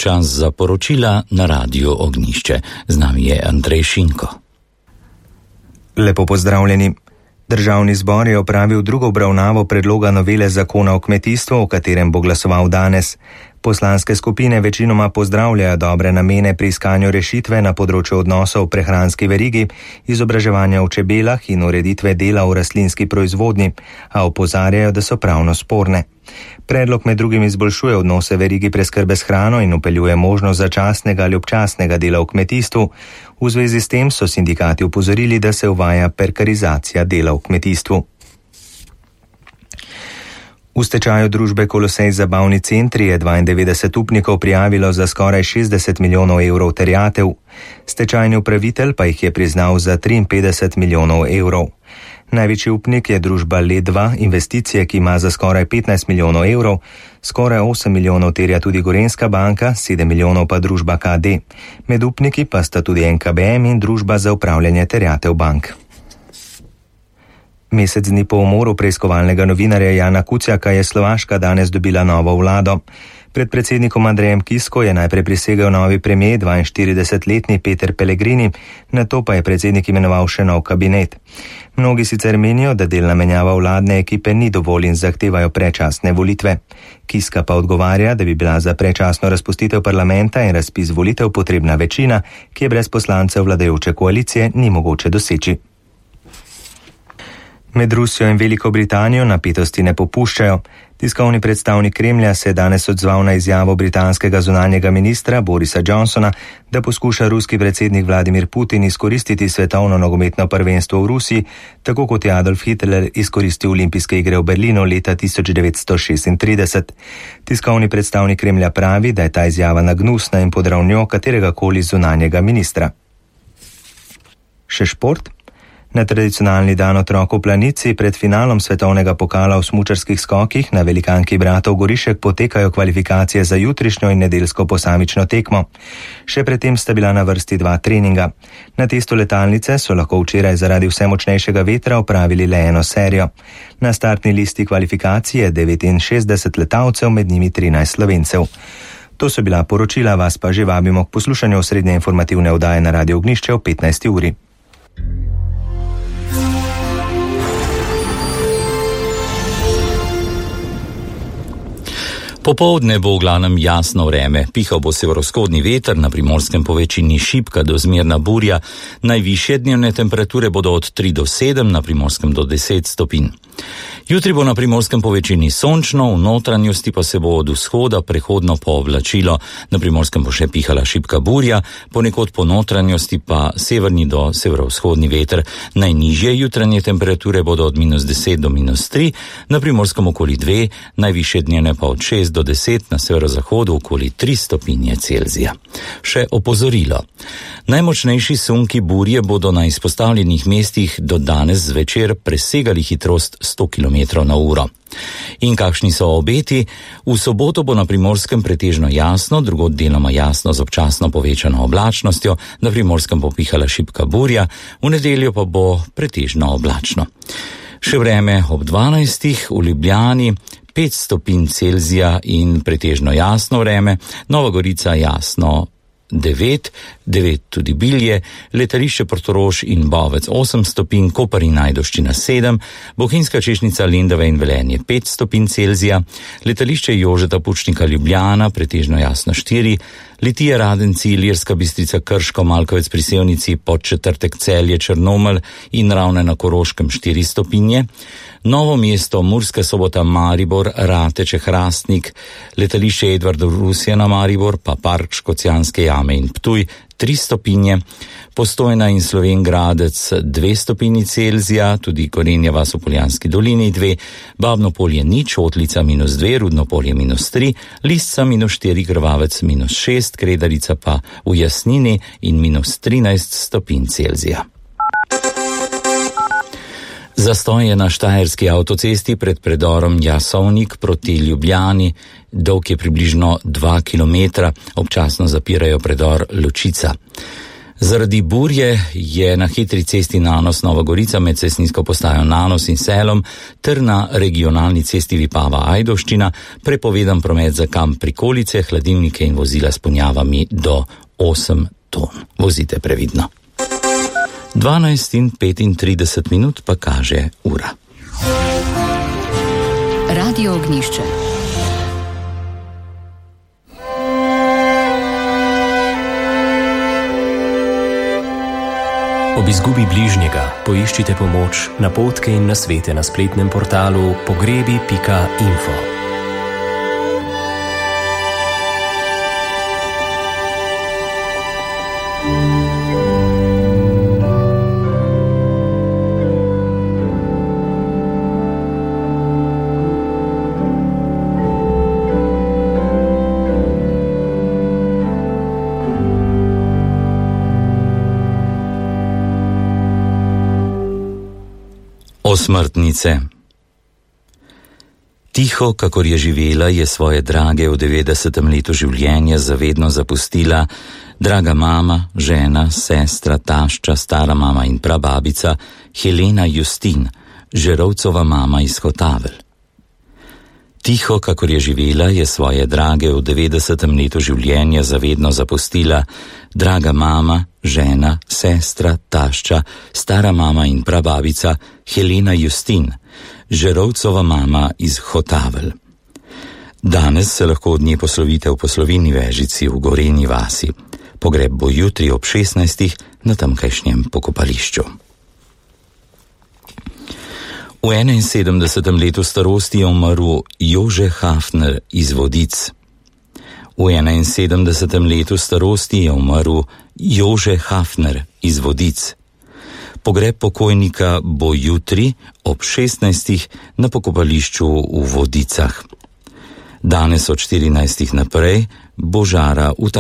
čas za poročila na Radiu Ognjišče. Z nami je Andrej Šinko. Lepo pozdravljeni. Državni zbor je opravil drugo obravnavo predloga novele zakona o kmetijstvu, o katerem bo glasoval danes. Poslanske skupine večinoma pozdravljajo dobre namene pri iskanju rešitve na področju odnosov v prehranski verigi, izobraževanja v čebelah in ureditve dela v rastlinski proizvodnji, a opozarjajo, da so pravno sporne. Predlog med drugim izboljšuje odnose verigi preskrbe s hrano in vpeljuje možnost začasnega ali občasnega dela v kmetijstvu. V zvezi s tem so sindikati opozorili, da se uvaja prekarizacija dela v kmetijstvu. V stečaju družbe Kolosej Zabavni centri je 92 upnikov prijavilo za skoraj 60 milijonov evrov terjatev. Stečajni upravitelj pa jih je priznal za 53 milijonov evrov. Največji upnik je družba Led2 investicije, ki ima za skoraj 15 milijonov evrov, skoraj 8 milijonov terja tudi Gorenjska banka, 7 milijonov pa družba KD. Med upniki pa sta tudi NKBM in družba za upravljanje terjatev bank. Mesec dni po umoru preiskovalnega novinarja Jana Kuciaka je Slovaška danes dobila novo vlado. Pred predsednikom Andrejem Kisko je najprej prisegel novi premijer, 42-letni Peter Pellegrini, nato pa je predsednik imenoval še nov kabinet. Mnogi sicer menijo, da delna menjava vladne ekipe ni dovolj in zahtevajo predčasne volitve. Kiska pa odgovarja, da bi bila za predčasno razpustitev parlamenta in razpis volitev potrebna večina, ki je brez poslancev vladajoče koalicije ni mogoče doseči. Med Rusijo in Veliko Britanijo napetosti ne popuščajo. Tiskovni predstavnik Kremlja se je danes odzval na izjavo britanskega zunanjega ministra Borisa Johnsona, da poskuša ruski predsednik Vladimir Putin izkoristiti svetovno nogometno prvenstvo v Rusiji, tako kot je Adolf Hitler izkoristil olimpijske igre v Berlinu leta 1936. Tiskovni predstavnik Kremlja pravi, da je ta izjava nagnusna in pod ravnjo kateregakoli zunanjega ministra. Še šport? Na tradicionalni dan otrokov v Planici pred finalom svetovnega pokala v smučarskih skokih na velikanki bratov Gorišek potekajo kvalifikacije za jutrišnjo in nedeljsko posamično tekmo. Še predtem sta bila na vrsti 2 treninga. Na testu letalnice so lahko včeraj zaradi vse močnejšega vetra opravili le eno serijo. Na startni listi kvalifikacij je 69 letalcev, med njimi 13 Slovencev. To so bila poročila, vas pa že vabimo k poslušanju osrednje informativne oddaje na Radiu Ognjišče o 15. uri. Popoldne bo v glavnem jasno vreme, pihal bo severovzhodni veter, na Primorskem povečini šibka do zmerna burja, najvišje dnevne temperature bodo od 3 do 7, na Primorskem do 10 stopinj. Jutri bo na Primorskem povečini sončno, v notranjosti pa se bo od vzhoda prehodno pooblačilo, na Primorskem bo še pihala šibka burja, ponekod po notranjosti pa severni do severovzhodni veter. Najnižje jutranje temperature bodo od -10 do -3, na Primorskem okoli 2, najvišje dnevne pa od 6 do 10, na severozahodu okoli 3 stopinje Celzija. Še opozorilo. Najmočnejši sunki burje bodo na izpostavljenih mestih do danes zvečer presegali hitrost 100 km/h. In kakšni so obeti? V soboto bo na Primorskem pretežno jasno, drugod deloma jasno z občasno povečano oblačnostjo, na Primorskem bo pihala šibka burja, v nedeljo pa bo pretežno oblačno. Še vreme ob 12. v Ljubljani 5 stopinj Celzija in pretežno jasno vreme, Nova Gorica jasno 9 tudi Bilje, letališče Portorož in Bovec 8 stopinj, Koper in Ajdovščina 7, Bohinjska Češnica, Lendava in Velenje 5 stopinj Celzija, letališče Jožeta Pučnika Ljubljana pretežno jasno 4, Litija, Radenci, Ilirska Bistrica, Krško, Malkovec pri Sevnici, Podčetrtek, Celje, Črnomelj in Ravne na Koroškem 4 stopinje, Novo mesto, Murska Sobota, Maribor, Rateče, Hrastnik, letališče Edvardov Rusija na Maribor, pa Park Škocjanske jame in Ptuj 3 stopinje, Postojna in Slovenj Gradec 2 stopinji Celzija, tudi Gorenja vas v Poljanski dolini 2, Babno Polje 0, Otlica -2, Rudno Polje -3, Lisca -4, Grvavec -6, Kredarica pa v Jasnini in -13 stopinj Celzija. Zastoj je na štajerski avtocesti pred predorom Jasovnik proti Ljubljani, dolg je približno 2 km, občasno zapirajo predor Lučica. Zaradi burje je na hitri cesti Nanos Nova Gorica med cestninsko postajo Nanos in Selom ter na regionalni cesti Vipava Ajdovščina prepovedan promet za kamp prikolice, hladilnike in vozila s ponjavami do 8 ton. Vozite previdno. 12:35 pa kaže ura. Radio Ognjišče. Ob izgubi bližnjega poiščite pomoč, napotke in nasvete na spletnem portalu pogrebi.info. Osmrtnice. Tiho, kakor je živela, je svoje drage v 90. letu življenja zavedno zapustila draga mama, žena, sestra, tašča, stara mama in prababica Helena Justin, Žerovcova mama iz Hotavelj. Tiho, kakor je živela, je svoje drage v 90. letu življenja zavedno zapustila draga mama, žena, sestra, tašča, stara mama in prababica Helena Justin, Žerovcova mama iz Hotavelj. Danes se lahko od nje poslovite v poslovilni vežici v Gorenji vasi. Pogreb bo jutri ob 16. na tamkajšnjem pokopališču. V 71. letu starosti je umrl Jože Hafner iz Vodic. V 71. letu starosti je umrl Jože Hafner iz Vodic. Pogreb pokojnika bo jutri ob 16. na pokopališču v Vodicah. Danes od 14. naprej bo žara v